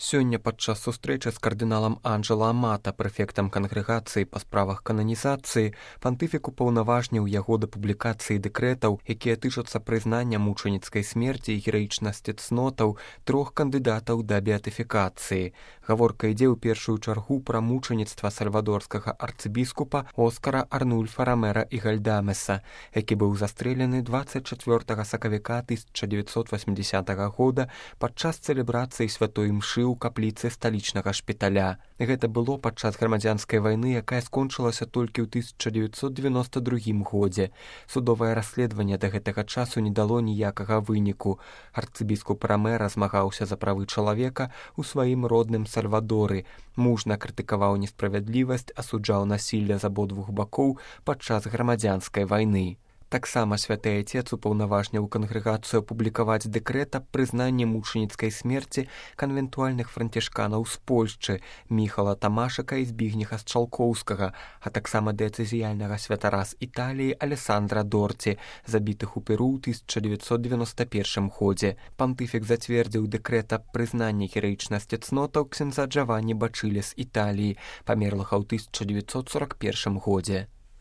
Сёння падчас сустрэчы з кардыналам Анджэло Амата, прэфектам кангрэгацыі па справах кананізацыі, пантыфік упаўнаважніў яго да публікацыі дэкрэтаў, якія тычацца прызнання мучаніцкай смерці і гераічнасці цнотаў 3 кандыдатаў да беатыфікацыі. Гаворка ідзе ў першую чаргу пра мучаніцтва сальвадорскага арцыбіскупа Оскара Арнульфа Рамера і Гальдамеса, які быў застрэлены 24 сакавіка 1980 года падчас цэлебрацыі святой імшы ў капліцы сталічнага шпіталя. Гэта было падчас грамадзянскай вайны, якая скончылася толькі ў 1992 годзе. Судовае расследаванне да гэтага часу не дало ніякага выніку. Арцыбіскуп Рамера змагаўся за правы чалавека ў сваім родным Сальвадоры. Мужна крытыкаваў несправядлівасць, асуджаў насілля з абодвух бакоў падчас грамадзянскай вайны. Таксама святы айцец упаўнаважніў кангрэгацыю апублікаваць дэкрэт аб прызнанні мучаніцкай смерці канвентуальных францішканаў з Польшчы Міхала Тамашака і Збігнеха Счалкоўскага, а таксама дыяцэзіяльнага святара з Італіі Алесандра Дорці, забітых у Перу ў 1991 годзе. Пантыфік зацвердзіў дэкрэт аб прызнанні гераічнасці цнотаў ксяндза Джаванні Бачыле з Італіі, памерлага ў 1941 годзе.